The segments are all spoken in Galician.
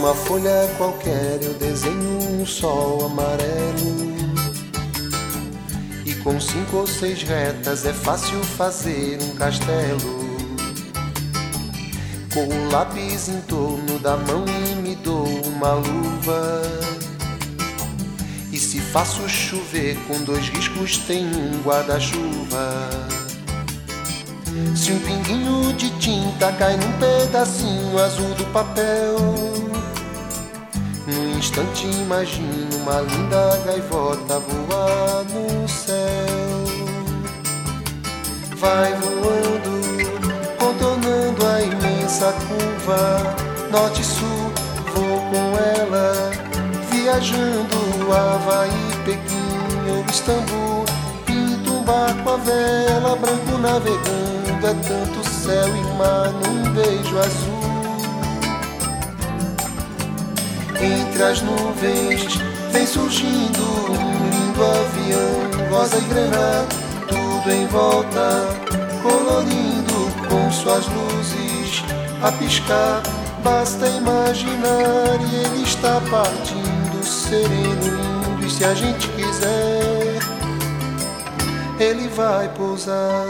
Numa folha qualquer eu desenho um sol amarelo, e com 5 ou 6 retas é fácil fazer um castelo. Com o lápis em torno da mão e me dou uma luva, e se faço chover com 2 riscos tem um guarda-chuva. Se um pinguinho de tinta cai num pedacinho azul do papel, num instante imagino uma linda gaivota voar no céu. Vai voando, contornando a imensa curva, norte e sul, vou com ela, viajando Havaí, Pequim ou Istambul. Pinto um barco à vela, branco navegando, é tanto céu e mar num beijo azul. Entre as nuvens vem surgindo um lindo avião, rosa e grená, tudo em volta, colorindo com suas luzes a piscar. Basta imaginar e ele está partindo, sereno, lindo, e se a gente quiser, ele vai pousar.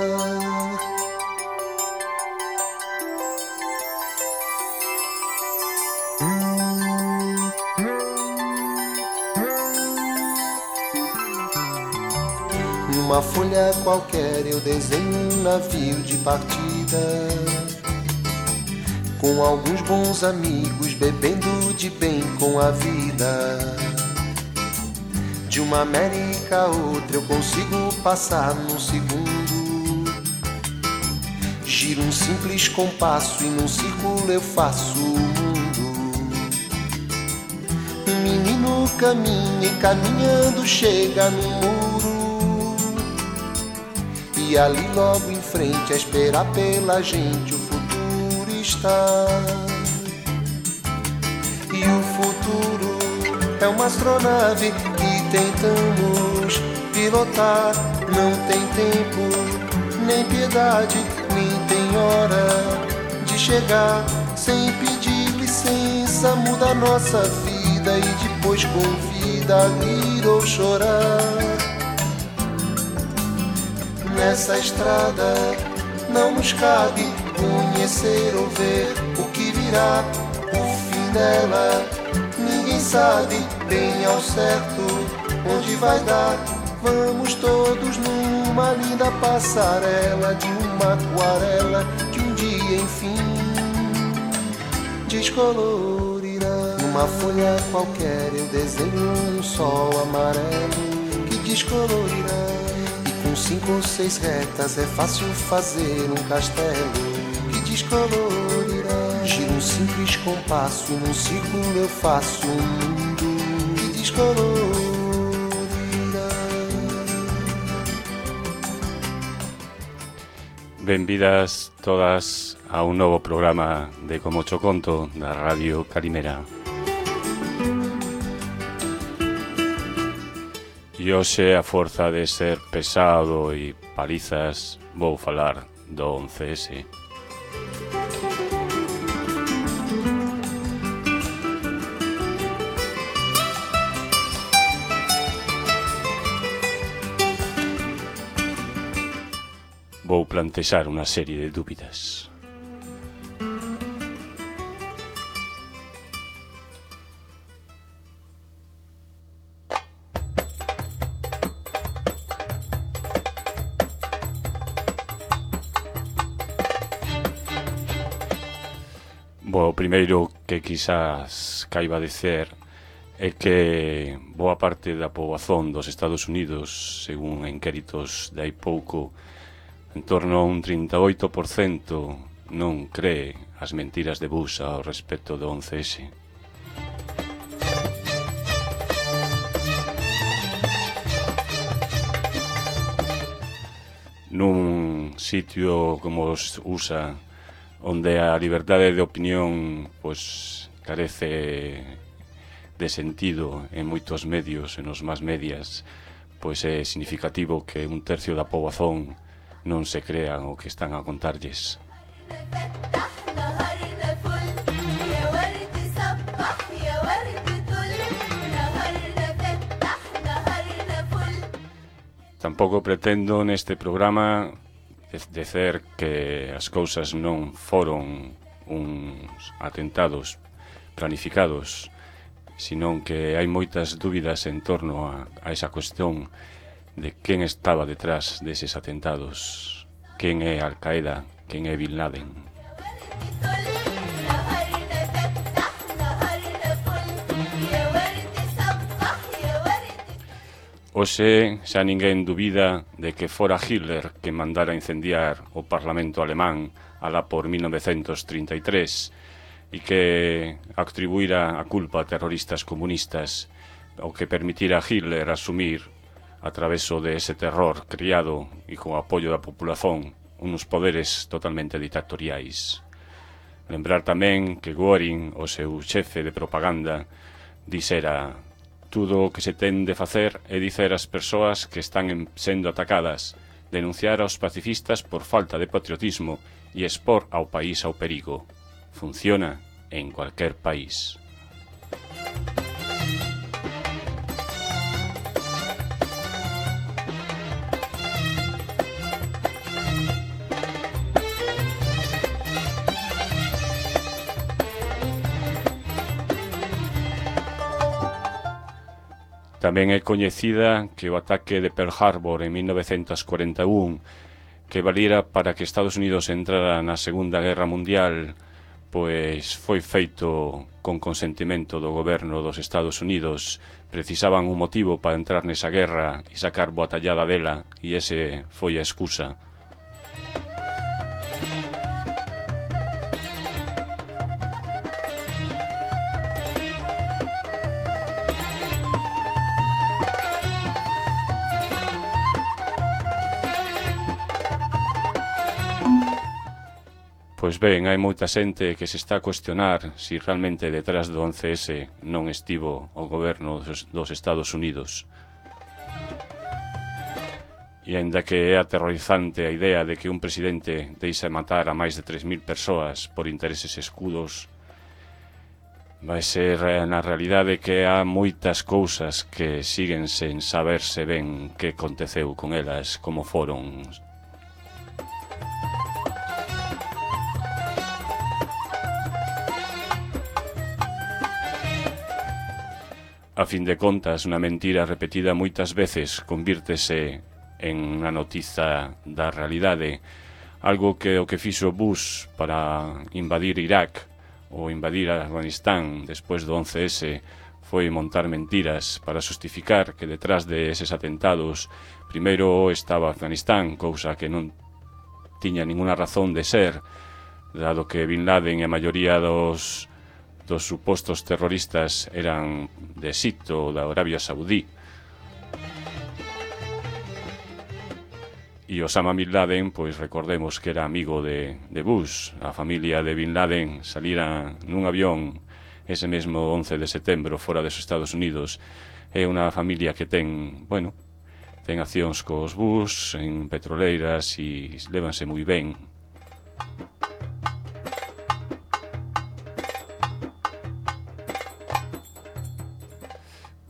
Numa folha qualquer eu desenho um navio de partida, com alguns bons amigos bebendo de bem com a vida. De uma América a outra eu consigo passar num segundo. Giro um simples compasso e num círculo eu faço o mundo. Um menino caminha e caminhando chega no muro, e ali logo em frente a esperar pela gente o futuro está. E o futuro é uma astronave que tentamos pilotar. Não tem tempo, nem piedade, nem tem hora de chegar. Sem pedir licença muda a nossa vida e depois convida a rir ou chorar. Nessa estrada não nos cabe conhecer ou ver o que virá. O fim dela ninguém sabe bem ao certo onde vai dar. Vamos todos numa linda passarela de uma aquarela que um dia enfim descolorirá. Numa folha qualquer eu desenho um sol amarelo que descolorirá. Com 5 ou 6 retas é fácil fazer um castelo que descolorirá. Giro um simples compasso e num círculo eu faço um mundo que descolorirá. Benvidas todas a un novo programa de Como Cho Conto da Radio Calimera. E hoxe, a forza de ser pesado e palizas, vou falar do 11S. Vou plantexar unha serie de dúbidas. O primeiro que quizás caiba dicer é que boa parte da poboación dos Estados Unidos, según inquéritos de hai pouco, en torno a un 38% non cree as mentiras de Bush ao respecto do 11S. Nun sitio como os USA, onde a liberdade de opinión pois carece de sentido en moitos medios, en os más medias, pois é significativo que un tercio da poboación non se crean o que están a contarlles. Tampouco pretendo neste programa dicer que as cousas non foron uns atentados planificados, senón que hai moitas dúbidas en torno a esa cuestión de quen estaba detrás deses atentados, quen é Al-Qaeda, quen é Bin Laden. Hoxe xa ninguén dubida de que fora Hitler que mandara incendiar o Parlamento alemán alá por 1933 e que atribuíra a culpa a terroristas comunistas, o que permitira a Hitler asumir a traveso de ese terror criado e con o apoio da populación unos poderes totalmente dictatoriais. Lembrar tamén que Göring, o seu xefe de propaganda, dixera: tudo o que se ten de facer é dicer ás persoas que están sendo atacadas, denunciar aos pacifistas por falta de patriotismo e expor ao país ao perigo. Funciona en cualquier país. Tamén é coñecida que o ataque de Pearl Harbor en 1941, que valira para que Estados Unidos entrara na Segunda Guerra Mundial, pois foi feito con consentimento do goberno dos Estados Unidos. Precisaban un motivo para entrar nesa guerra e sacar boa tallada dela, e ese foi a excusa. Pois ben, hai moita xente que se está a cuestionar se realmente detrás do 11S non estivo o goberno dos Estados Unidos. E aínda que é aterrorizante a idea de que un presidente deixa matar a máis de 3.000 persoas por intereses escudos, vai ser na realidade que há moitas cousas que siguen sen saberse ben que aconteceu con elas, como foron. A fin de contas, unha mentira repetida moitas veces convírtese en unha noticia da realidade, algo que o que fixo Bush para invadir Irak ou invadir Afganistán despois do 11S foi montar mentiras para justificar que detrás de eses atentados primeiro estaba Afganistán, cousa que non tiña ninguna razón de ser, dado que Bin Laden e a maioría dos supostos terroristas eran de Egipto ou da Arabia Saudí. E Osama Bin Laden, pois recordemos que era amigo de Bush. A familia de Bin Laden salira nun avión ese mesmo 11 de setembro fora dos Estados Unidos. É unha familia que ten accións cos Bush en petroleiras e lévanse moi ben.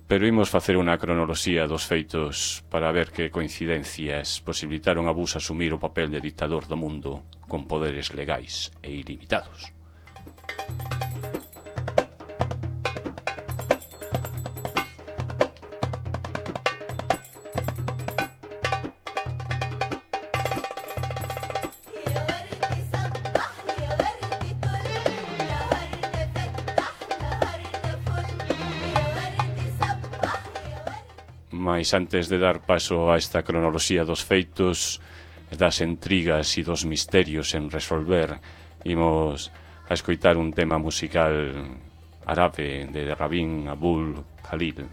Pero imos facer unha cronoloxía dos feitos para ver que coincidencias posibilitaron a Bush asumir o papel de dictador do mundo con poderes legais e ilimitados. Mais antes de dar paso a esta cronoloxía dos feitos, das intrigas e dos misterios en resolver, imos a escoitar un tema musical árabe de Rabin Abdul Khalil.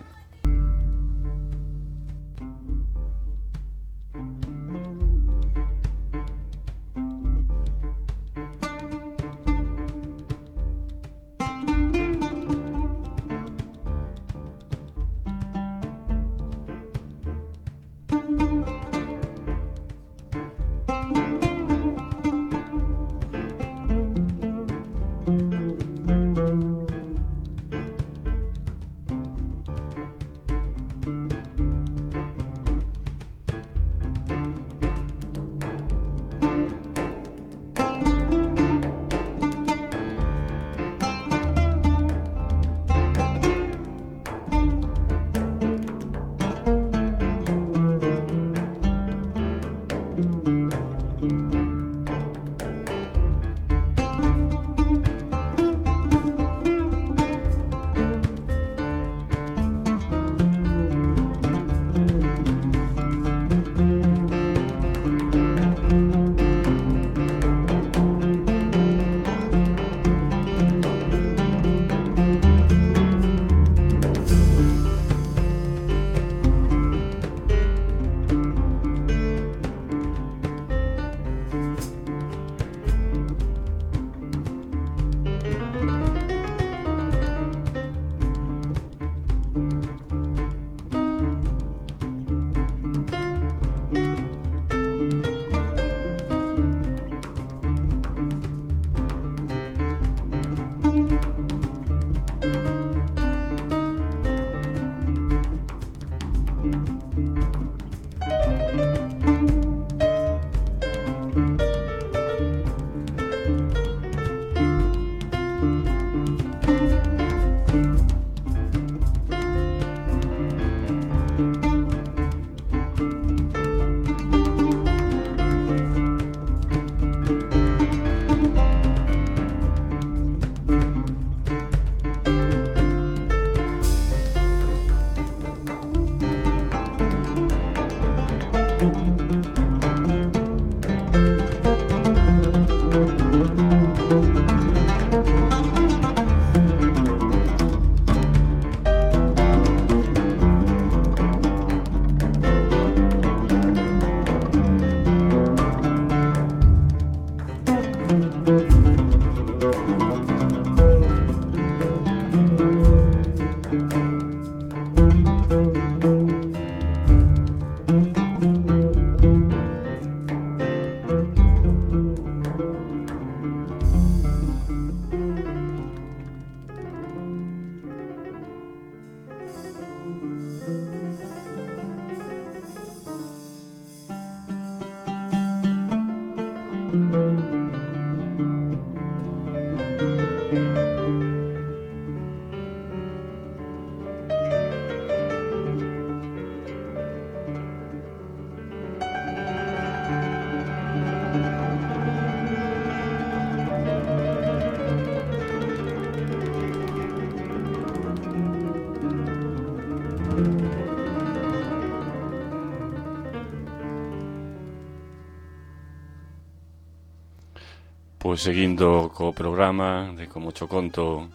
Pois seguindo co programa de Como cho conto,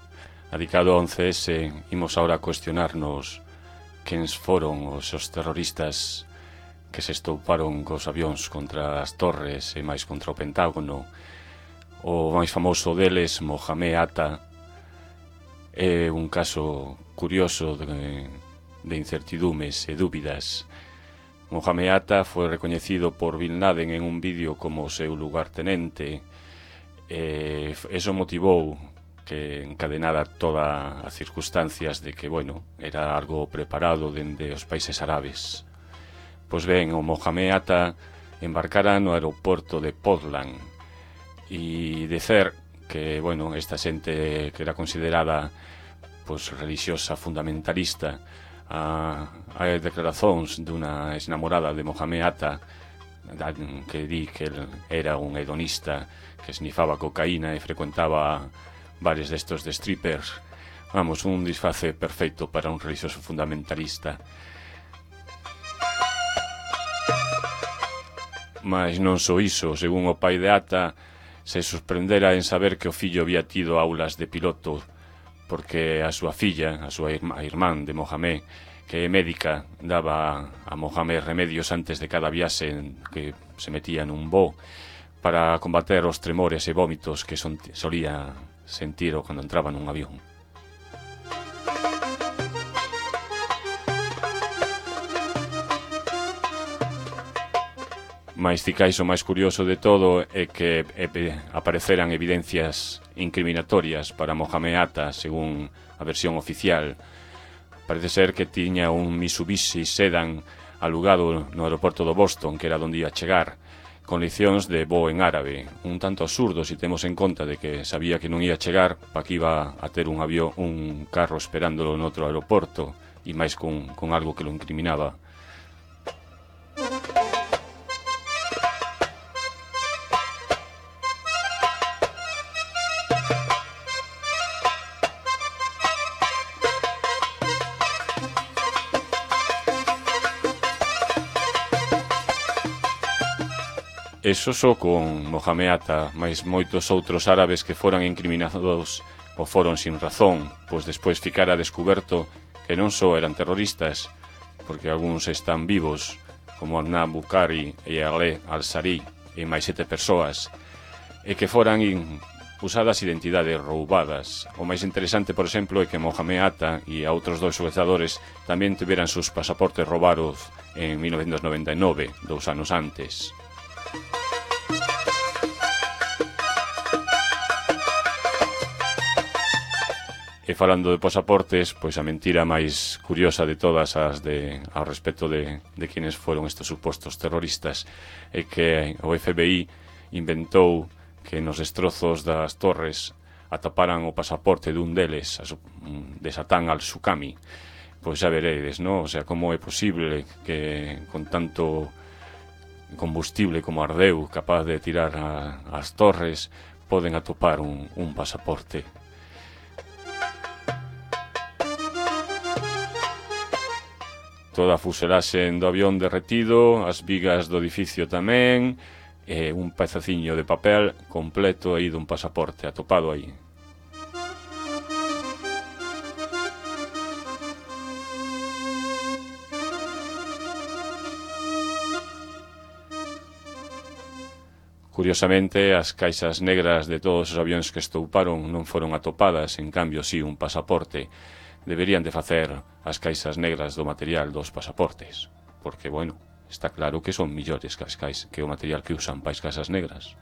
dedicado ao 11S, imos agora a cuestionarnos quens foron os terroristas que se estouparon cos avións contra as torres e máis contra o Pentágono. O máis famoso deles, Mohamed Atta, é un caso curioso de incertidumes e dúbidas. Mohamed Atta foi recoñecido por Bin Laden en un vídeo como o seu lugartenente. Eso motivou que encadenara todas as circunstancias de que, bueno, era algo preparado dende os países árabes. Pois ben, o Mohamed Atta embarcara no aeroporto de Portland e dicer que, bueno, esta xente que era considerada pois religiosa fundamentalista, a declaracións dunha exnamorada de Mohamed Atta que di que el era un hedonista que snifaba cocaína e frecuentaba bares destos de strippers. Vamos, un disfrace perfecto para un religioso fundamentalista. Mas non só iso, según o pai de Atta, se sorprendera en saber que o fillo había tido aulas de piloto, porque a súa filla, a súa irmán de Mohamed, que é médica, daba a Mohamed remedios antes de cada viaxe que se metía nun voo para combater os tremores e vómitos que solía sentir cando entraba nun avión. Mais cicais o máis curioso de todo é que apareceran evidencias incriminatorias para Mohamed Atta, según a versión oficial. Parece ser que tiña un Mitsubishi Sedan alugado no aeroporto do Boston, que era onde ia chegar, con leccións de voo en árabe. Un tanto absurdo se temos en conta de que sabía que non ia chegar, pa que iba a ter un carro esperándolo no outro aeroporto, e máis con algo que lo incriminaba. Eso só con Mohamed Atta, mais moitos outros árabes que foran incriminados ou foron sin razón, pois despois ficara descuberto que non só eran terroristas, porque algúns están vivos, como Arnab Bukhari e Ale Al-Sari e máis 7 persoas, e que foran usadas identidades roubadas. O máis interesante, por exemplo, é que Mohamed Atta e a outros 2 sucesores tamén tiveran seus pasaportes roubados en 1999, 2 anos antes. E falando de pasaportes, pois a mentira máis curiosa de todas as ao respecto de quienes foron estes supostos terroristas é que o FBI inventou que nos destrozos das torres ataparan o pasaporte dun deles, de Satán al-Sukami. Pois xa veredes, non? O sea, como é posible que con tanto combustible como ardeu capaz de tirar as torres poden atopar un pasaporte. Toda a fuselaxe do avión derretido, as vigas do edificio tamén, e un pedaciño de papel completo aí dun pasaporte atopado aí. Curiosamente, as caixas negras de todos os avións que estouparon non foron atopadas, en cambio si un pasaporte. Deberían de facer as caixas negras do material dos pasaportes, porque, bueno, está claro que son millores que o material que usan para as caixas negras.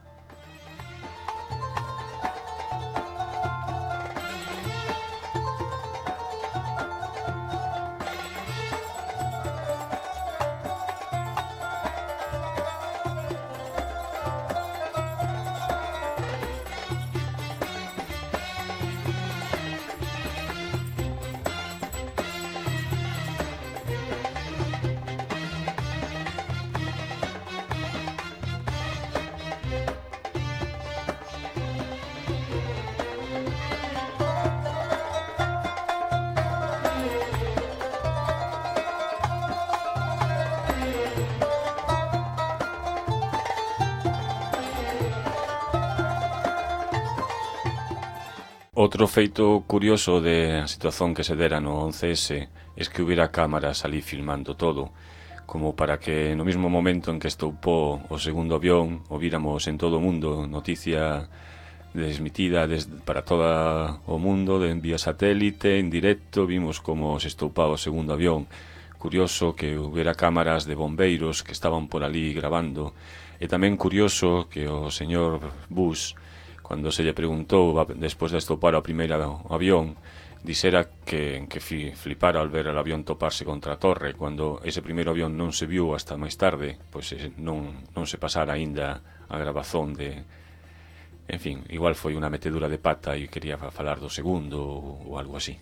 Outro feito curioso da situación que se dera no 11S é que hubiera cámaras ali filmando todo, como para que no mesmo momento en que estoupou o segundo avión o víramos en todo o mundo, noticia desmitida para todo o mundo, de vía satélite, en directo, vimos como se estoupaba o segundo avión. Curioso que hubiera cámaras de bombeiros que estaban por ali grabando, e tamén curioso que o señor Bush, cando se lle preguntou despois de estopar o primeiro avión, dixera que flipara al ver el avión toparse contra a torre, cando ese primeiro avión non se viu hasta máis tarde, pois non se pasara aínda a grabazón de... En fin, igual foi unha metedura de pata e quería falar do segundo ou algo así.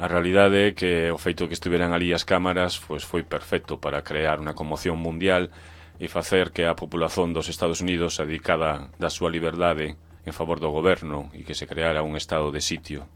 A realidade é que o feito que estiveran ali as cámaras foi perfecto para crear unha conmoción mundial e facer que a populación dos Estados Unidos se dedicara da súa liberdade en favor do goberno e que se creara un estado de sitio.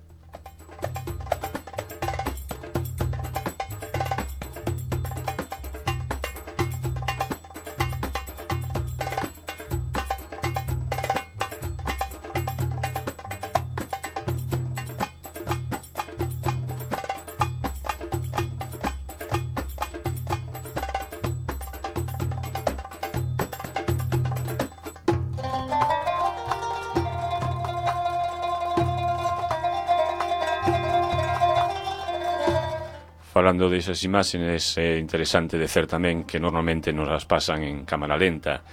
Falando desas imaxes, é interesante dicer tamén que normalmente nos as pasan en cámara lenta,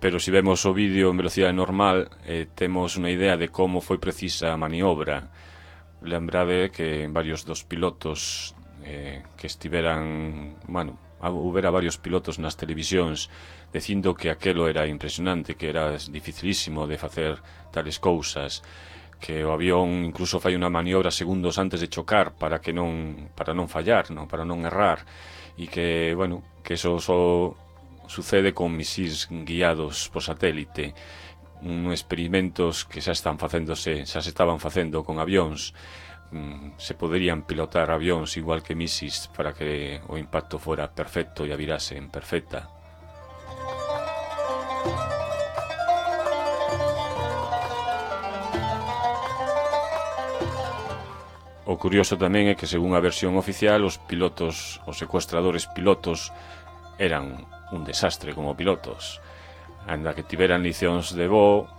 pero se vemos o vídeo en velocidade normal, temos unha idea de como foi precisa a maniobra. Lembrade que varios dos pilotos que estiveran, houbera varios pilotos nas televisións dicindo que aquelo era impresionante, que era dificilísimo de facer tales cousas, que o avión incluso fai unha maniobra segundos antes de chocar para non fallar, para non errar, e que, que eso só sucede con misís guiados por satélite, experimentos que xa se estaban facendo con avións. Se poderían pilotar avións igual que misís para que o impacto fora perfecto e a virase en perfecta. O curioso tamén é que, según a versión oficial, os secuestradores pilotos eran un desastre como pilotos. Anda que tiveran licións de voo,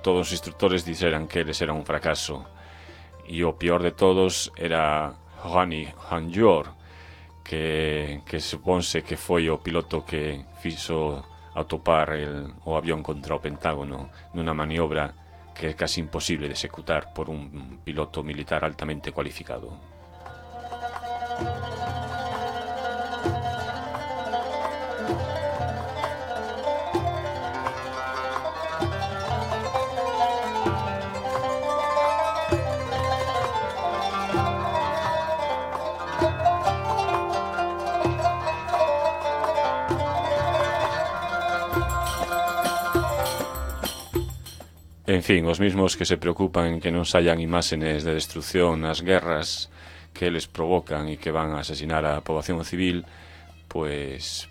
todos os instructores dixeran que eles eran un fracaso. E o pior de todos era Ronnie Hanjour, que suponse que foi o piloto que fixo atopar o avión contra o Pentágono nunha maniobra que é casi imposible de executar por un piloto militar altamente cualificado. En fin, os mismos que se preocupan en que non saian imágenes de destrucción nas guerras que eles provocan e que van a asesinar a poboación civil, pois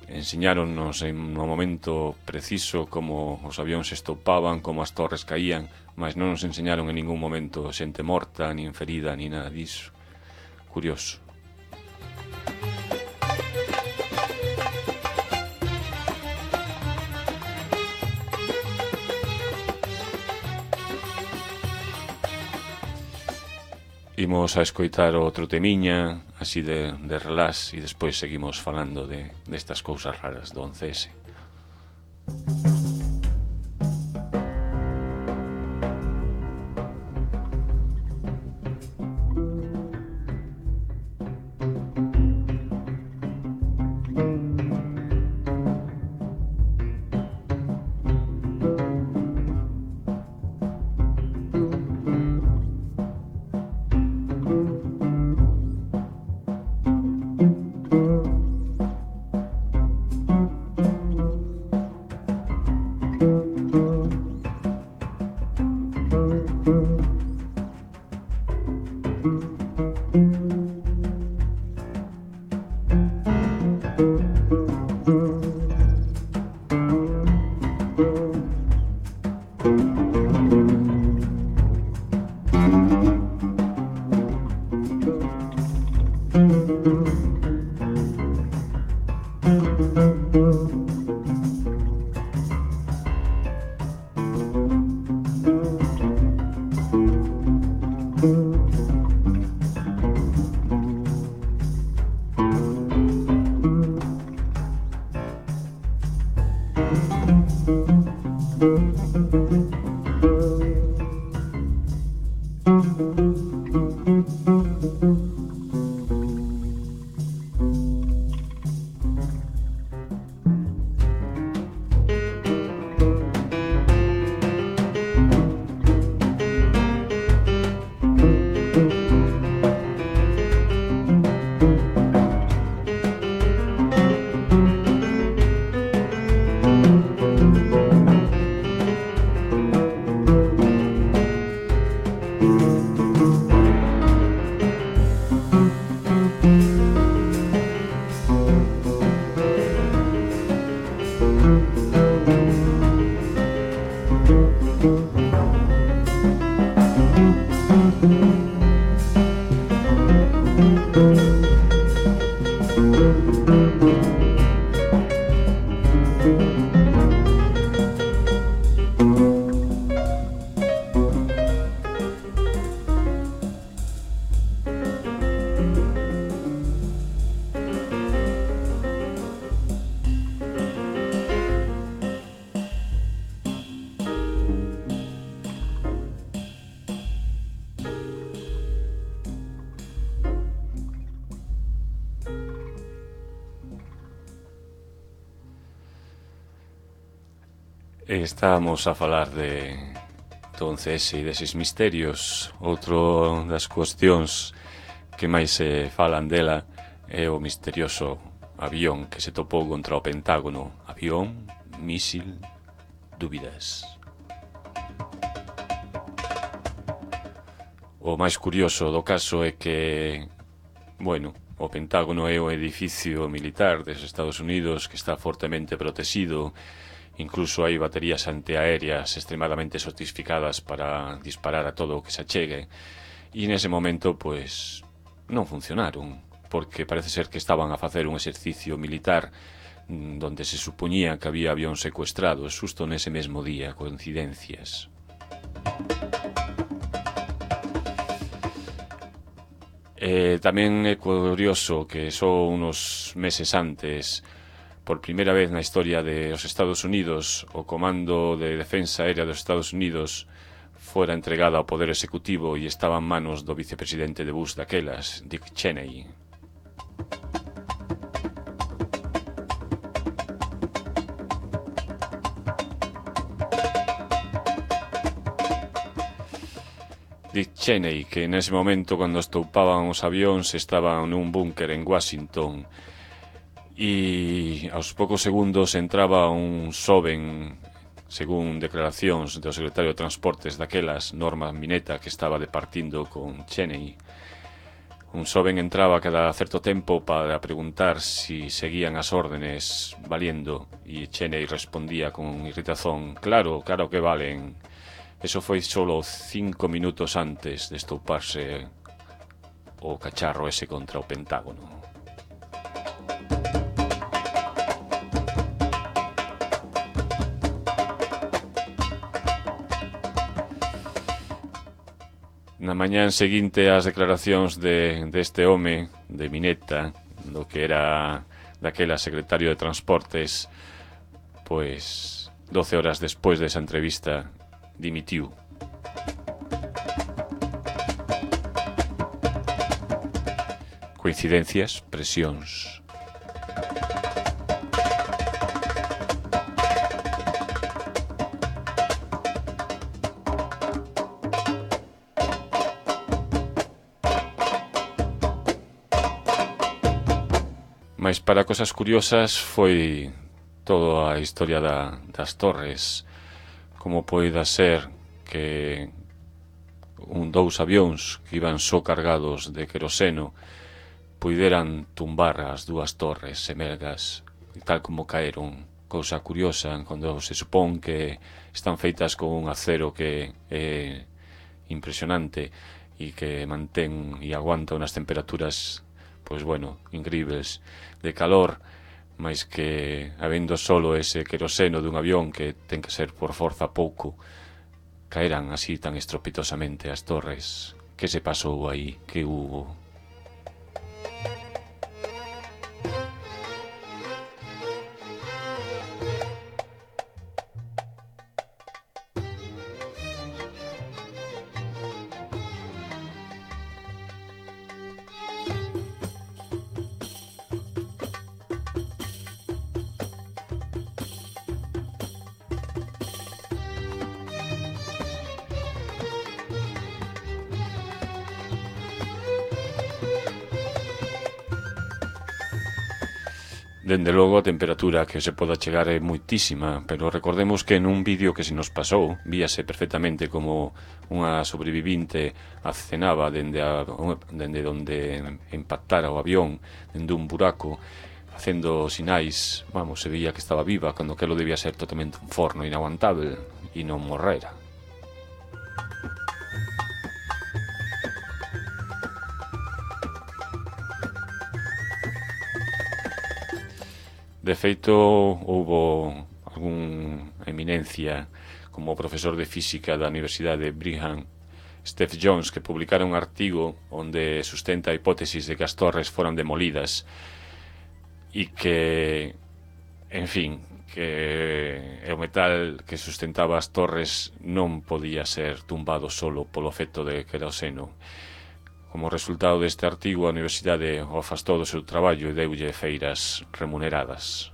ensiñáronnos en un momento preciso como os avións se estopaban, como as torres caían, mas non nos enseñaron en ningún momento xente morta, nin ferida, ni nada disso. Curioso. Imos a escoitar outro temiña, así de relax, e despois seguimos falando destas cousas raras do 11S. Estábamos a falar de entonces e deses misterios. Outro das cuestións que máis se falan dela é o misterioso avión que se topou contra o Pentágono. Avión, mísil, dúbidas. O máis curioso do caso é que, bueno, o Pentágono é o edificio militar dos Estados Unidos que está fortemente protegido. Incluso hai baterías antiaéreas extremadamente sofisticadas para disparar a todo o que se achegue. E nese momento, pois, non funcionaron, porque parece ser que estaban a facer un exercicio militar donde se supoñía que había avións secuestrados xusto nese mesmo día, coincidencias. Tamén é curioso que só unos meses antes, por primeira vez na historia dos Estados Unidos, o Comando de Defensa Aérea dos Estados Unidos fora entregada ao Poder Executivo e estaba en manos do vicepresidente de Bush daquelas, Dick Cheney. Dick Cheney, que nese momento, cando estoupaban os avións, estaba nun búnker en Washington, e aos poucos segundos entraba un xoven, según declaracións do secretario de Transportes daquelas, Norman Mineta, que estaba departindo con Cheney. Un xoven entraba cada certo tempo para preguntar si seguían as órdenes valiendo, e Cheney respondía con irritazón: claro, claro que valen. Eso foi solo 5 minutos antes de estouparse o cacharro ese contra o Pentágono. Na mañán seguinte ás declaracións deste home, de Mineta, do que era daquela secretario de Transportes, pois 12 horas despois desa entrevista dimitiu. Coincidencias, presións. Mais para cosas curiosas foi toda a historia das torres. Como poida ser que dous avións que iban só cargados de queroseno puideran tumbar as dúas torres semelgas tal como caeron. Cousa curiosa cando se supón que están feitas con un acero que é impresionante e que mantén e aguanta unas temperaturas, pois bueno, incríveis de calor, máis que habendo solo ese queroseno dun avión que ten que ser por forza pouco, caeran así tan estropitosamente as torres. Que se pasou aí? Que hubo? Dende logo a temperatura que se poda chegar é moitísima, pero recordemos que nun vídeo que se nos pasou víase perfectamente como unha sobrevivinte acenaba dende onde impactara o avión, dende un buraco, facendo sinais, vamos, se veía que estaba viva, cando que lo debía ser totalmente un forno inaguantável e non morrera. De feito, houbo algún eminencia como o profesor de física da Universidade de Brigham, Steph Jones, que publicara un artigo onde sustenta a hipótesis de que as torres foran demolidas e que, en fin, que o metal que sustentaba as torres non podía ser tumbado solo polo efecto de queroseno. Como resultado deste artigo, a Universidade o afastou do seu traballo e deulle feiras remuneradas.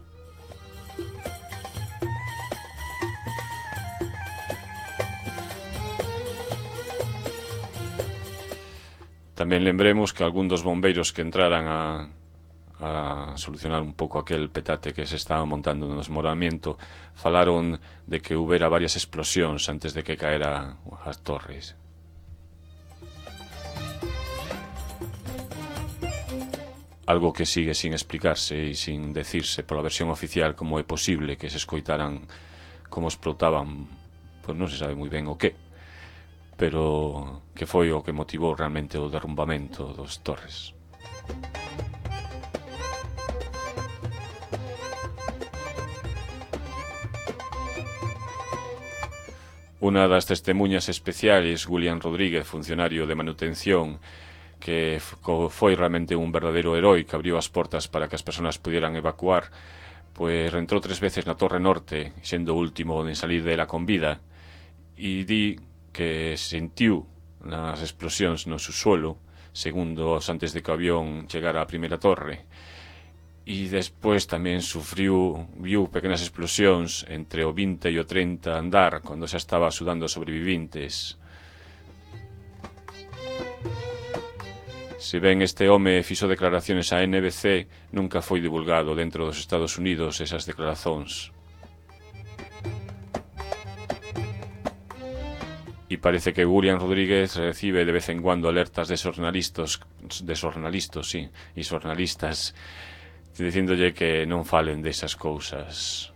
Tamén lembremos que algún dos bombeiros que entraran a solucionar un pouco aquel petate que se estaba montando no desmoronamiento falaron de que houbera varias explosións antes de que caera as torres. Algo que sigue sin explicarse e sin decirse pola versión oficial como é posible que se escoitaran como explotaban, pois non se sabe moi ben o que, pero que foi o que motivou realmente o derrumbamento dos torres. Unha das testemunhas especiales, William Rodríguez, funcionario de manutención, que foi realmente un verdadeiro heroi que abriu as portas para que as persoas pudieran evacuar, pois entrou 3 veces na Torre Norte, sendo o último en salir dela con vida, e di que sentiu nas explosións no subsuelo, segundos antes de que o avión chegara á primeira torre, e despois tamén viu pequenas explosións entre o 20 e o 30 andar, cando xa estaba axudando os sobrevivintes. Se ben este home fixo declaraciones a NBC, nunca foi divulgado dentro dos Estados Unidos esas declaracións. E parece que William Rodríguez recibe de vez en cuando alertas de xornalistas dicíndolle que non falen desas cousas.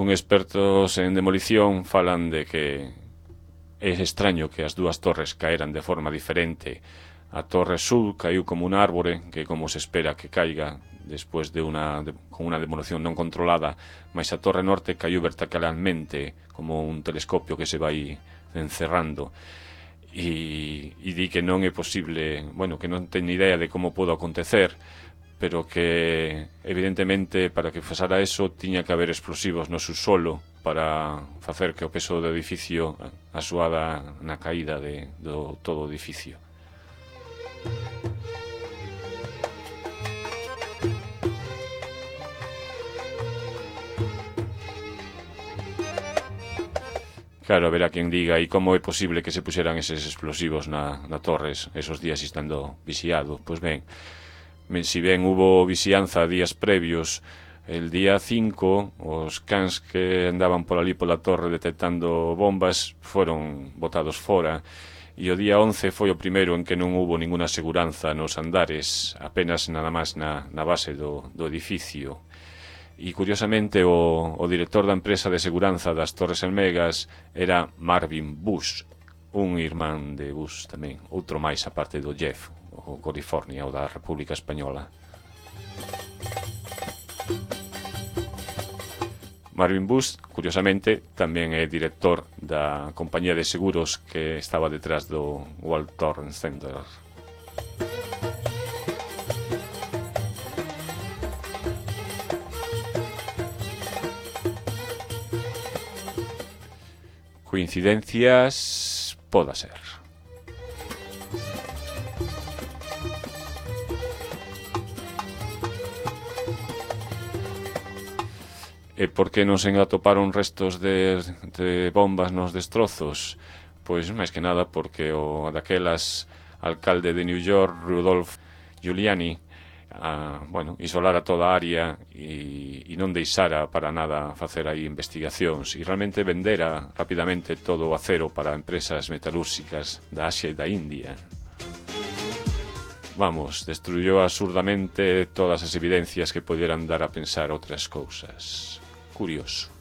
Expertos en demolición falan de que é extraño que as dúas torres caeran de forma diferente. A torre sur caiu como un árbore que como se espera que caiga despois con unha demolición non controlada, mas a torre norte caiu verticalmente como un telescopio que se vai encerrando e di que non é posible, que non ten idea de como podo acontecer, pero que evidentemente para que pasara eso tiña que haber explosivos no subsolo para facer que o peso do edificio axudara na caída do todo o edificio. Claro, verá quen diga, e como é posible que se puxeran eses explosivos na torres esos días estando vixiado? Pois ben, si ben hubo vixianza días previos, el día 5 os cans que andaban por ali pola torre detectando bombas foron botados fora, e o día 11 foi o primeiro en que non hubo ninguna seguranza nos andares, apenas nada máis na base do edificio. E curiosamente o director da empresa de seguranza das Torres Elmegas era Marvin Bush, un irmán de Bush tamén, outro máis aparte do Jeff, o California, o da República Española. Marvin Bush, curiosamente, tamén é director da compañía de seguros que estaba detrás do World Trade Center. Coincidencias poda ser. E por que non se atoparon restos de bombas nos destrozos? Pois máis que nada porque o daquelas alcalde de New York, Rudolph Giuliani, isolara toda a área e non deixara para nada facer aí investigacións e realmente vendera rapidamente todo o acero para empresas metalúrxicas da Asia e da India. Vamos, destruyó absurdamente todas as evidencias que poderan dar a pensar outras cousas. Curioso.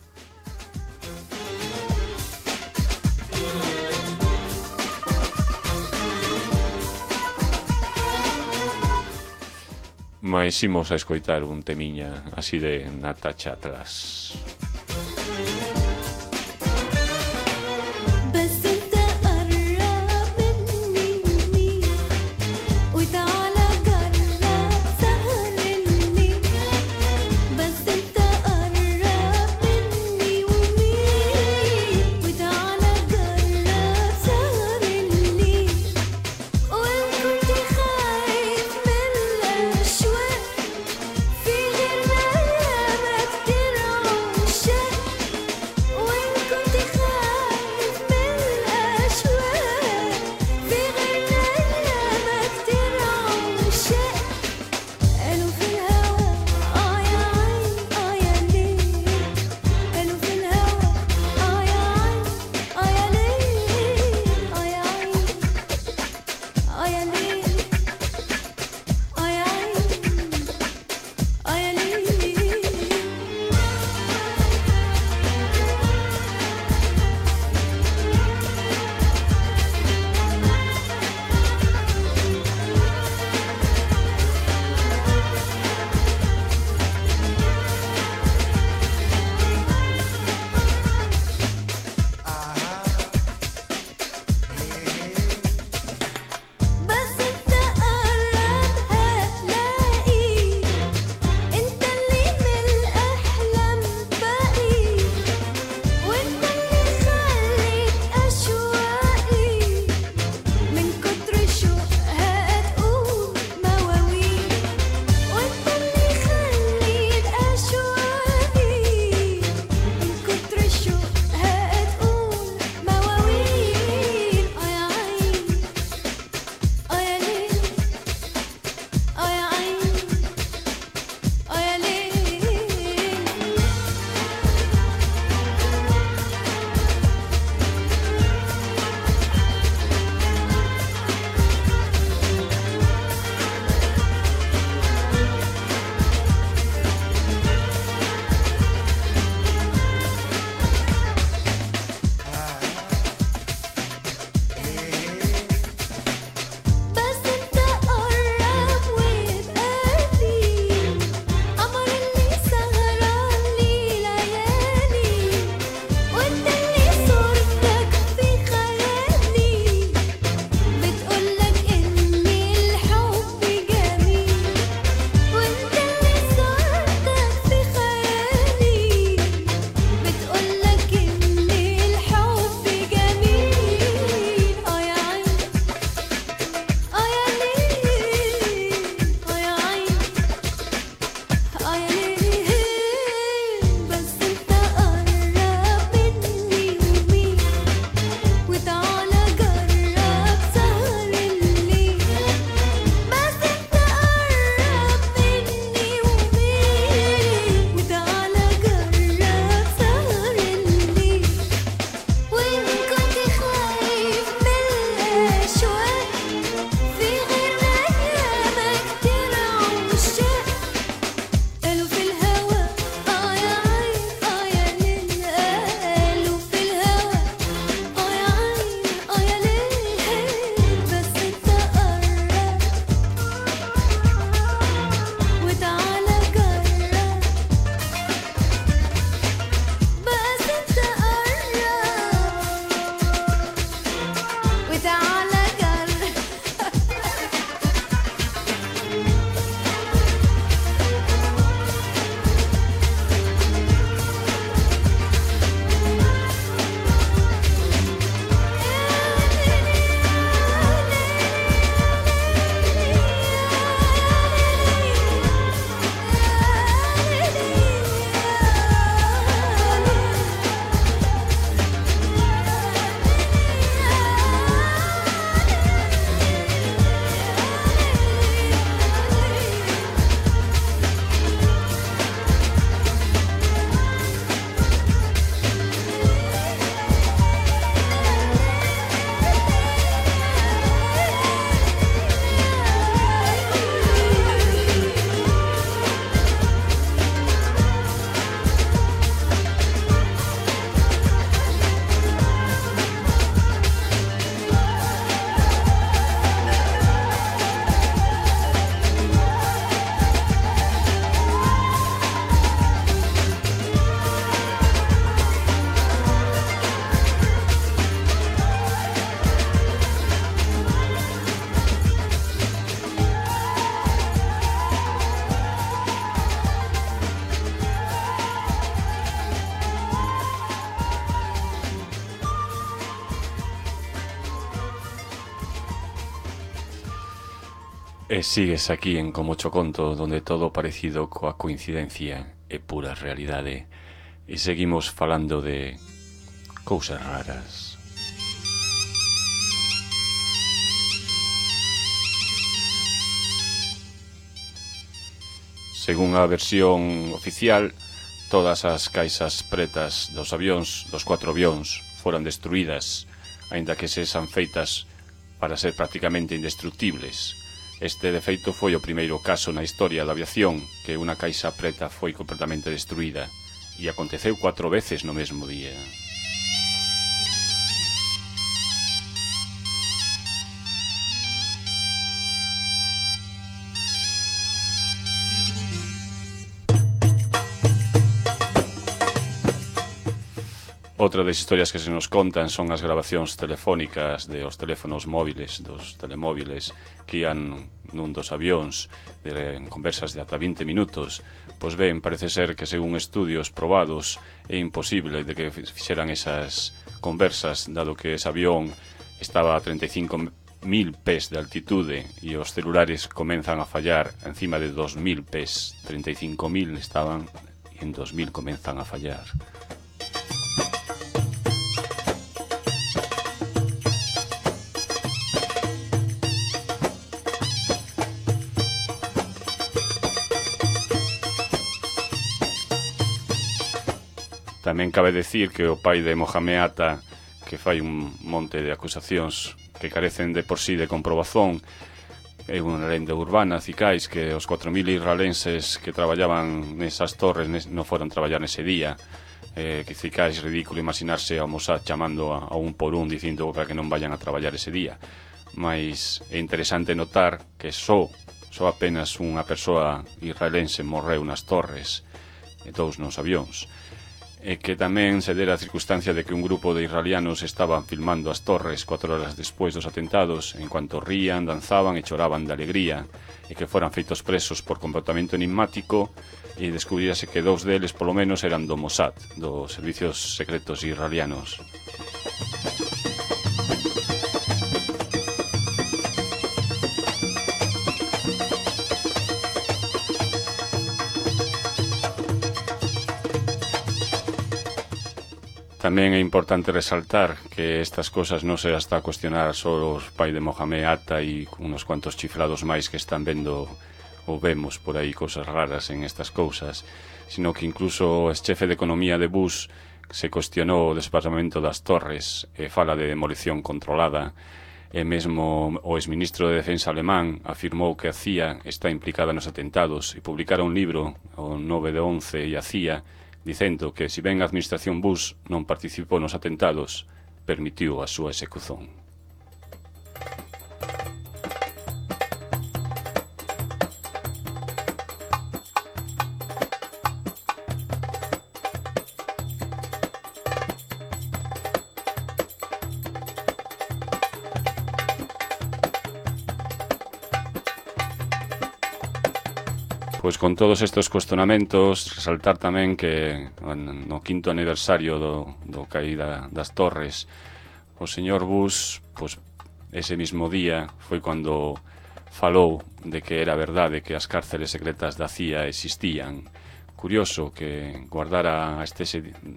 Mais imos a escoitar un temiña así de Natacha atrás. E sigues aquí en Como cho conto, donde todo parecido coa coincidencia é pura realidade. E seguimos falando de cousas raras. Según a versión oficial, todas as caixas pretas dos avións, dos 4 avións, foran destruídas, aínda que sexan feitas para ser prácticamente indestructibles. Este, de feito, foi o primeiro caso na historia da aviación que unha caixa preta foi completamente destruída, e aconteceu 4 veces no mesmo día. Outra das historias que se nos contan son as grabacións telefónicas dos teléfonos móviles, dos telemóviles que ian nun dos avións, de conversas de ata 20 minutos. Pois ben, parece ser que según estudios probados é imposible de que fixeran esas conversas, dado que ese avión estaba a 35.000 pés de altitude e os celulares comenzan a fallar encima de 2.000 pés. 35.000 estaban e en 2.000 comenzan a fallar. Tamén cabe decir que o pai de Mohamed Atta, que fai un monte de acusacións que carecen de por sí de comprobazón, é unha lenda urbana, cicais, que os 4.000 israelenses que traballaban nesas torres non foran traballar nese día, que cicais ridículo imaginarse ao Mossad chamando a un por un dicindo para que non vayan a traballar ese día. Mais é interesante notar que só apenas unha persoa israelense morreu nas torres e 2 nos avións. E que tamén se dera a circunstancia de que un grupo de israelianos estaban filmando as torres 4 horas despois dos atentados, en cuanto rían, danzaban e choraban de alegría, e que foran feitos presos por comportamento enigmático, e descubríase que 2 deles polo menos eran do Mossad, dos servicios secretos israelianos. Tamén é importante resaltar que estas cosas non se está a cuestionar só os pais de Mohamed Atta e unos cuantos chiflados máis que están vendo ou vemos por aí cosas raras en estas cousas, sino que incluso o xefe de economía de Bush se cuestionou o desplazamento das torres e fala de demolición controlada, e mesmo o exministro de Defensa alemán afirmou que a CIA está implicada nos atentados e publicara un libro, o 9/11 e a CIA, dicendo que, se ben a administración Bush non participou nos atentados, permitiu a súa execución. Pois con todos estes cuestionamentos, resaltar tamén que no 5º aniversario do caída das torres, o señor Bush, pois, ese mismo día foi cando falou de que era verdade que as cárceles secretas da CIA existían. Curioso que guardara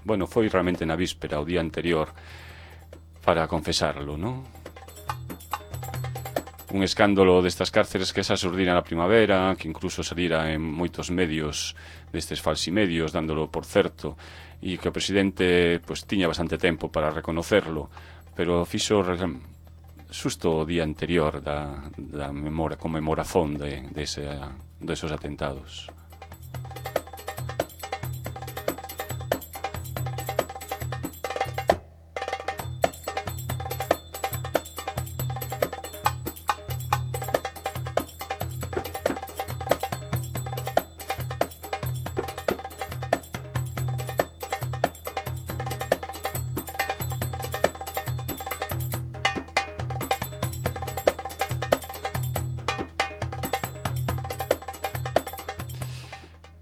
bueno, foi realmente na víspera, o día anterior, para confesarlo, non? Un escándalo destas cárceles que esa xurdira na primavera, que incluso salira en moitos medios destes falsimedios, dándolo por certo, e que o presidente pois tiña bastante tempo para reconocerlo, pero fixo xusto o día anterior da conmemorazón desos atentados.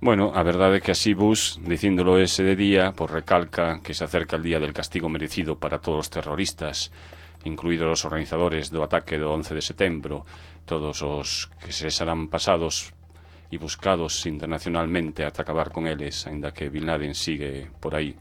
Bueno, a verdade é que así Bush, dicíndolo ese de día, pois recalca que se acerca el día del castigo merecido para todos os terroristas, incluídos os organizadores do ataque do 11 de setembro, todos os que se serán pasados e buscados internacionalmente ata acabar con eles, aínda que Bin Laden sigue por aí.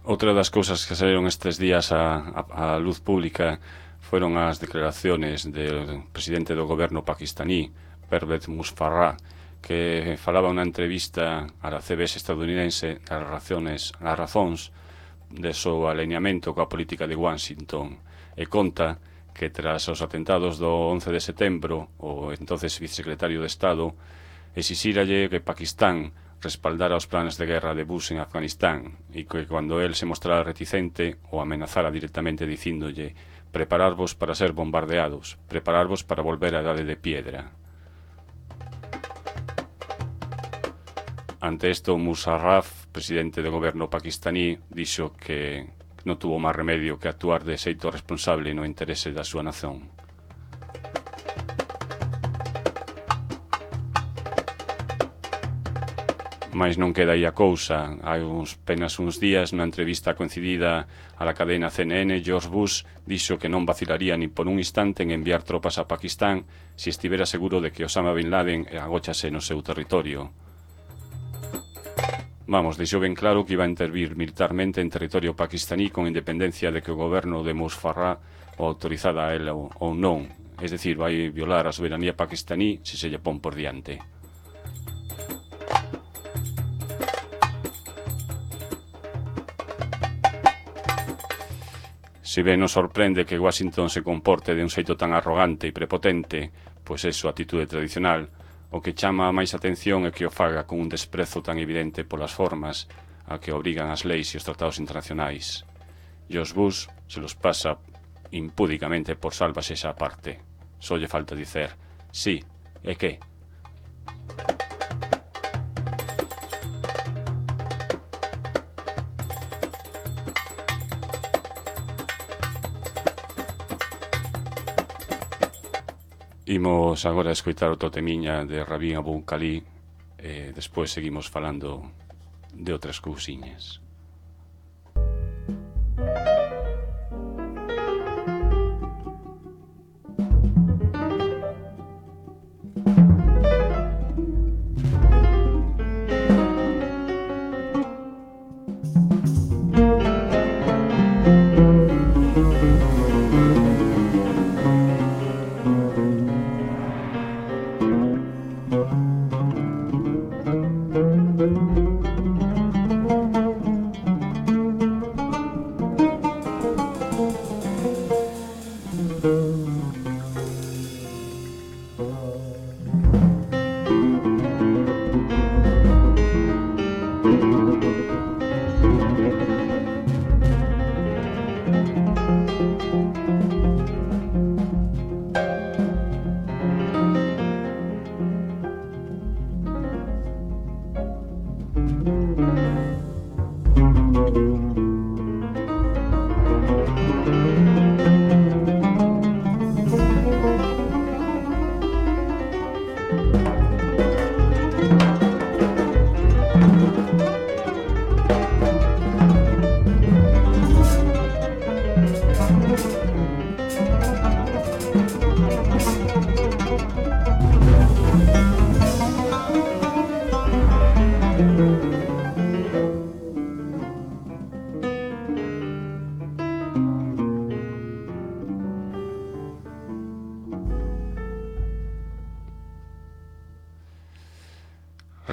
Outra das cousas que saíron estes días á luz pública foron as declaraciones do presidente do goberno pakistaní, Pervez Musharraf, que falaba unha entrevista á CBS estadounidense as razóns de seu alineamento coa política de Washington, e conta que tras os atentados do 11 de setembro, o entonces vicesecretario de Estado exixíralle que Pakistán respaldara os planes de guerra de Bush en Afganistán, e que cando él se mostrara reticente o amenazara directamente dicíndolle: prepararvos para ser bombardeados, prepararvos para volver á edade de piedra. Ante isto, Musharraf, presidente do goberno pakistaní, dixo que non tuvo máis remedio que actuar de xeito responsable no interese da súa nación. Mais non queda aí a cousa. Hai apenas uns días, nunha entrevista coincidida a la cadena CNN, George Bush dixo que non vacilaría nin por un instante en enviar tropas a Pakistán se estivera seguro de que Osama Bin Laden agóchase no seu territorio. Vamos, deixou ben claro que iba a intervir militarmente en territorio pakistaní con independencia de que o goberno de Musharraf o autorizada a él ou non. Es decir, vai violar a soberanía pakistaní se se lle pon por diante. Se ben nos sorprende que Washington se comporte de un xeito tan arrogante e prepotente, pois é súa atitude tradicional, o que chama máis atención é que o faga con un desprezo tan evidente polas formas a que obrigan as leis e os tratados internacionais. George Bush se los pasa impúdicamente por salvas esa parte. Só lle falta dicer: sí, e que? Imos agora a escoitar outro temiña de Rabin Abu Khalid e despois seguimos falando de outras cousiñas.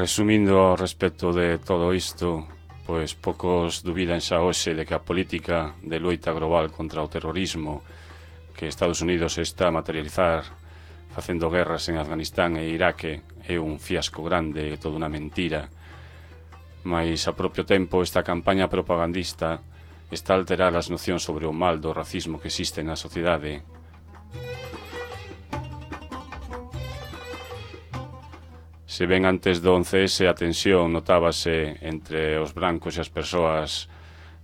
Resumindo ao respecto de todo isto, pois poucos dubidan xa hoxe de que a política de loita global contra o terrorismo que Estados Unidos está a materializar facendo guerras en Afganistán e Iraque é un fiasco grande e toda unha mentira. Mais a propio tempo esta campaña propagandista está a alterar as nocións sobre o mal do racismo que existe na sociedade. Se ben antes do 11S a tensión notábase entre os brancos e as persoas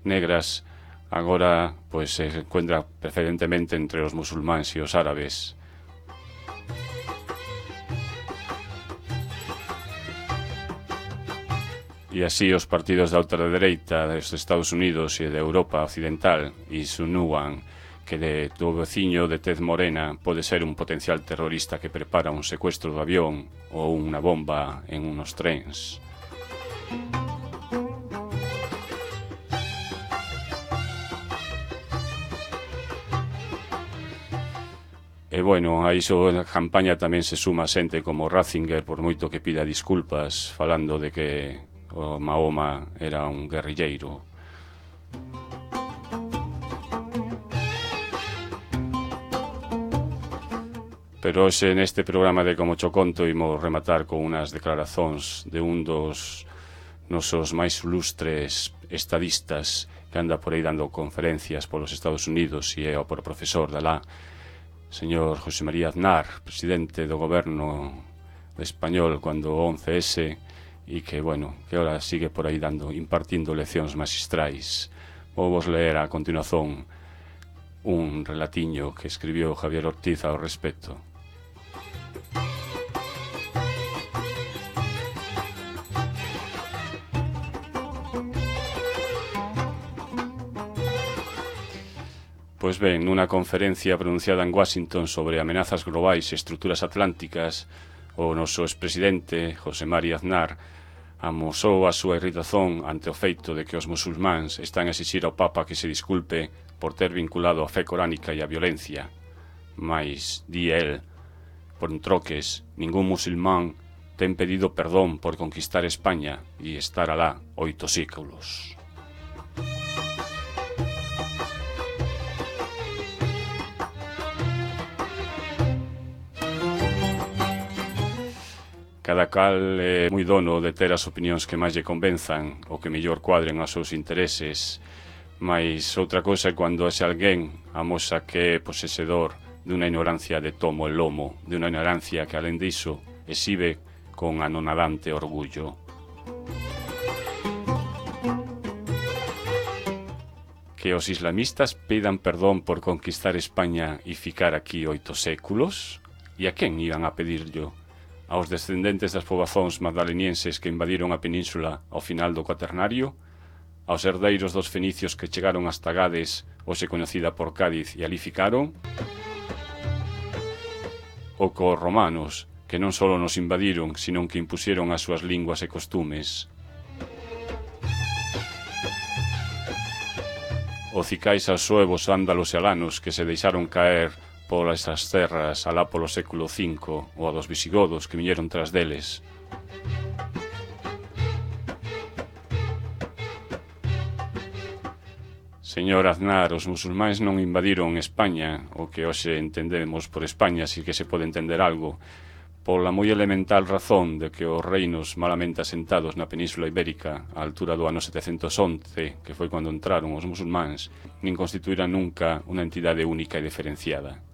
negras, agora pois se encuentra preferentemente entre os musulmáns e os árabes. E así os partidos da ultradereita dos Estados Unidos e de Europa Occidental insinúan que do veciño de tez morena pode ser un potencial terrorista que prepara un secuestro do avión ou unha bomba en unos trens. E bueno, a iso na campaña tamén se suma xente como Ratzinger, por moito que pida disculpas, falando de que o Mahoma era un guerrilleiro. Pero hoxe neste programa de Como Cho Conto imos rematar con unhas declaracións de un dos nosos máis ilustres estadistas que anda por aí dando conferencias polos Estados Unidos e é o profesor de alá, señor José María Aznar, presidente do goberno español cando o 11S, e que, bueno, que ahora sigue por aí impartindo leccións magistrais. Vou vos ler a continuación un relatiño que escribiu Javier Ortiz ao respecto. Pois ben, nunha conferencia pronunciada en Washington sobre amenazas globais e estruturas atlánticas, o noso expresidente, José María Aznar, amosou a súa irritación ante o feito de que os musulmáns están a exixir ao Papa que se disculpe por ter vinculado a fe coránica e a violencia. Mais, di el, por troques, ningún musulmán ten pedido perdón por conquistar España e estar alá 8 séculos. Cada cal é moi dono de ter as opinións que máis lle convenzan ou que mellor cuadren aos seus intereses, mas outra cosa é cando ese alguén amosa que é posesedor dunha ignorancia de tomo e lomo, de unha ignorancia que, alén diso, exhibe con anonadante orgullo. Que os islamistas pidan perdón por conquistar España e ficar aquí 8 séculos? E a quen iban a pedirllo? Aos descendentes das pobazóns magdalenienses que invadiron a península ao final do Cuaternario? Aos herdeiros dos fenicios que chegaron hasta Gades, hoxe coñecida por Cádiz, e ali ficaron? Ou cos romanos, que non só nos invadiron, senón que impusieron as súas linguas e costumes? Ou cicais aos suevos, ándalos e alanos que se deixaron caer polas esas terras alá polo século V, ou a dos visigodos que viñeron tras deles? Señor Aznar, os musulmáns non invadiron España, o que hoxe entendemos por España, si que se pode entender algo, pola moi elemental razón de que os reinos malamente asentados na Península Ibérica, á altura do ano 711, que foi cando entraron os musulmáns, nin constituíran nunca unha entidade única e diferenciada.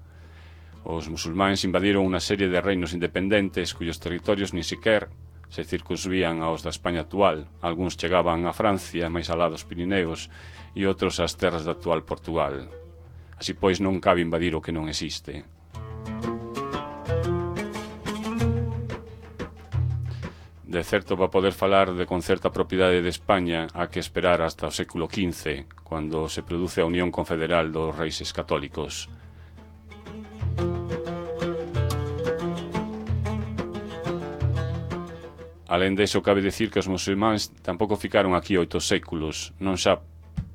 Os musulmáns invadiron unha serie de reinos independentes cuyos territorios nin sequer se circunsvían aos da España actual. Algúns chegaban a Francia, máis alá dos Pirineos, e outros ás terras do actual Portugal. Así pois non cabe invadir o que non existe. De certo, para poder falar de con certa propiedade de España, há que esperar hasta o século XV, cando se produce a Unión Confederal dos Reis Católicos. Alén deso, cabe dicir que os musulmáns tampouco ficaron aquí 8 séculos, non xa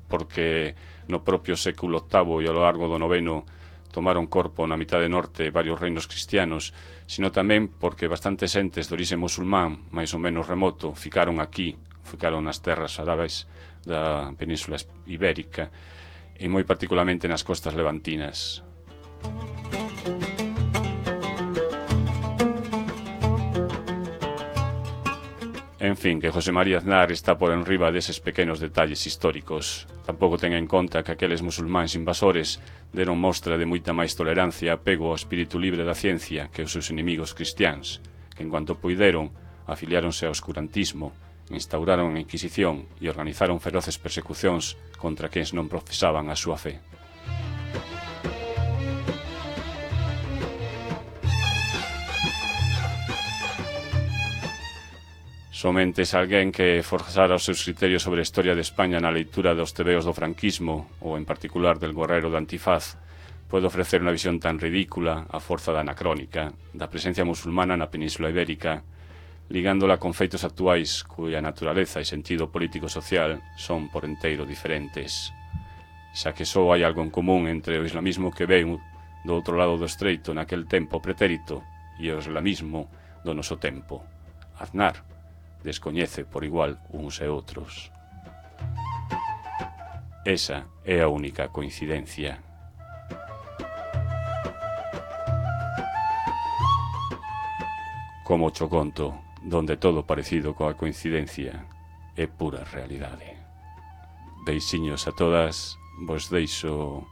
porque no propio século VIII e ao largo do IX tomaron corpo na mitade norte varios reinos cristianos, sino tamén porque bastantes entes de orixe musulmán, máis ou menos remoto, ficaron aquí, ficaron nas terras árabes da Península Ibérica e moi particularmente nas costas levantinas. En fin, que José María Aznar está por enriba deses pequenos detalles históricos. Tampouco ten en conta que aqueles musulmáns invasores deron mostra de moita máis tolerancia e apego ao espírito libre da ciencia que os seus inimigos cristiáns, que en cuanto puideron afiliáronse ao oscurantismo, instauraron a Inquisición e organizaron feroces persecucións contra quens non profesaban a súa fe. Somente se alguén que forzara os seus criterios sobre a historia de España na leitura dos tebeos do franquismo, ou en particular del Guerrero do Antifaz, pode ofrecer unha visión tan ridícula a forza da anacrónica, da presencia musulmana na Península Ibérica, ligándola con feitos actuais cuya naturaleza e sentido político-social son por enteiro diferentes, xa que só hai algo en común entre o islamismo que veu do outro lado do estreito naquel tempo pretérito e o islamismo do noso tempo. Aznar descoñece por igual uns e outros. Esa é a única coincidencia. Como cho conto, donde todo parecido coa coincidencia é pura realidade. Beixiños a todas, vos deixo...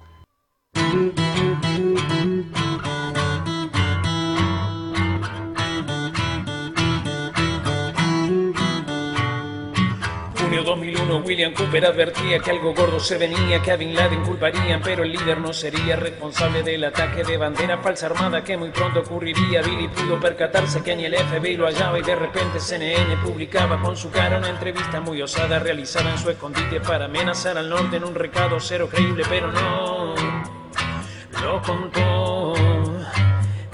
Junio 2001, William Cooper advertía que algo gordo se venía, que a Bin Laden culparían, pero el líder no sería responsable del ataque de bandera falsa armada que muy pronto ocurriría. Billy pudo percatarse que ni el FBI lo hallaba y de repente CNN publicaba con su cara una entrevista muy osada realizada en su escondite para amenazar al norte en un recado cero creíble, pero no lo contó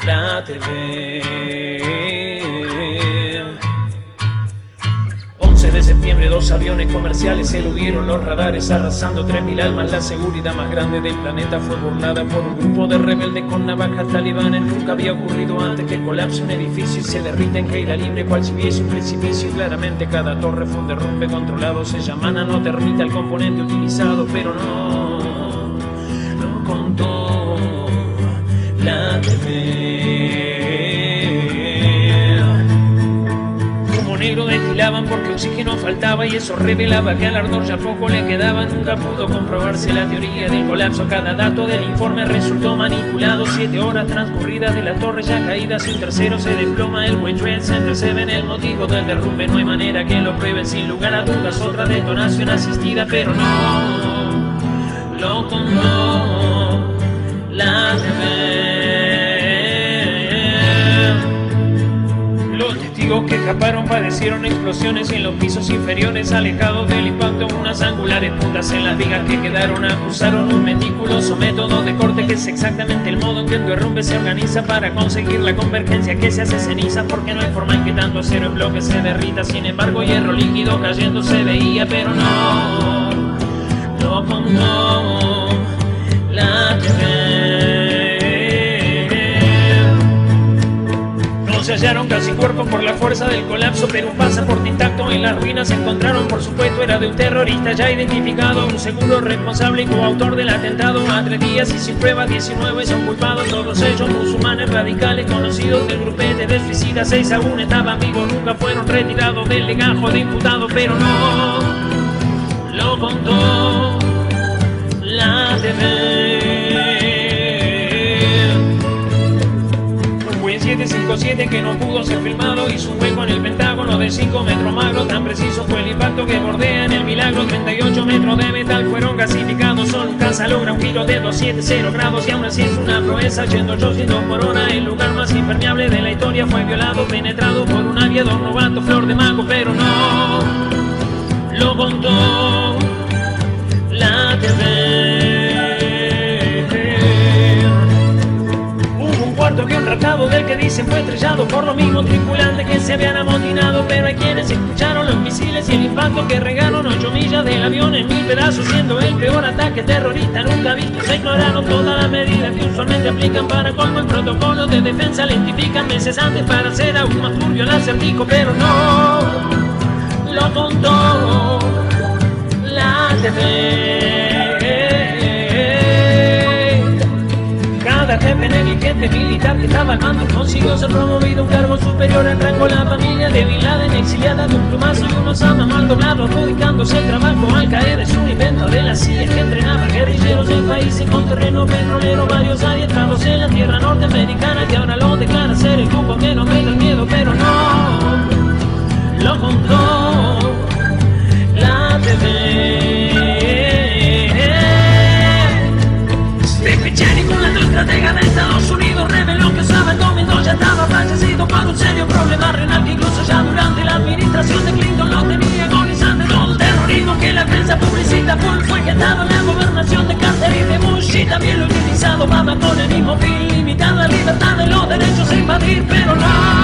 la TV. 11 de septiembre, 2 aviones comerciales eludieron los radares, arrasando 3.000 almas. La seguridad más grande del planeta fue burlada por un grupo de rebeldes con navajas talibanes. Nunca había ocurrido antes que colapse un edificio y se derrita en caída libre, cual si hubiese un precipicio. Claramente cada torre fue un derrumbe controlado. Se llama no termita el componente utilizado, pero no lo contó la TV. Negro destilaban porque oxígeno faltaba y eso revelaba que al ardor ya poco le quedaba. Nunca pudo comprobarse la teoría del colapso. Cada dato del informe resultó manipulado. 7 horas transcurridas de la torre ya caída, sin tercero se desploma el World Trade Center. Se ven el motivo del derrumbe, no hay manera que lo prueben. Sin lugar a dudas otra detonación asistida, pero no lo contó la TV. Que escaparon padecieron explosiones en los pisos inferiores, alejados del impacto. Unas angulares puntas en las vigas que quedaron acusaron un meticuloso método de corte que es exactamente el modo en que el derrumbe se organiza para conseguir la convergencia que se hace ceniza, porque no hay forma en que tanto acero en bloque se derrita. Sin embargo, hierro líquido cayendo se veía, pero no lo contó la TV. Se hallaron casi cuerpos por la fuerza del colapso, pero un pasaporte intacto en las ruinas se encontraron. Por supuesto era de un terrorista ya identificado, un seguro responsable y coautor del atentado. A 3 días y sin pruebas 19 son culpados, todos ellos musulmanes radicales conocidos del grupete de suicidas. 6 aún estaban vivos, nunca fueron retirados del legajo de imputados, pero no lo contó la TV. 757 que no pudo ser filmado hizo un hueco en el Pentágono de 5 metros magro. Tan preciso fue el impacto que bordea en el milagro. 38 metros de metal fueron gasificados. Solo un caza logra un giro de 270 grados y aún así es una proeza. Yendo 800 por hora, el lugar más impermeable de la historia fue violado, penetrado por un aviador novato, flor de mago, pero no lo contó la TV. Cuarto avión raptado del que dicen fue estrellado por los mismos tripulantes que se habían amotinado, pero hay quienes escucharon los misiles y el impacto que regaron 8 millas del avión en 1000 pedazos, siendo el peor ataque terrorista nunca visto. Se ignoraron todas las medidas que usualmente aplican para colmo el protocolo de defensa. Lentifican meses antes para hacer aún más turbio el acertijo, pero no lo contó la TV. Cada jefe negligente militar que estaba al mando consiguió ser promovido a un cargo superior al rango. La familia de Bin Laden exiliada de un plumazo y unos Osama mal doblado, adjudicándose el trabajo. Al caer es un invento de la CIA que entrenaba guerrilleros en países con terreno petrolero. Varios adiestrados en la tierra norteamericana que ahora lo declara ser el grupo que no tenga miedo, pero no un serio problema renal que incluso ya durante la administración de Clinton lo tenía agonizante. Todo el terrorismo que la prensa publicita fue gestado en la gobernación de Carter y de Bush, y también lo utilizado Obama con el mismo fin, limitando la libertad de los derechos a invadir, pero no.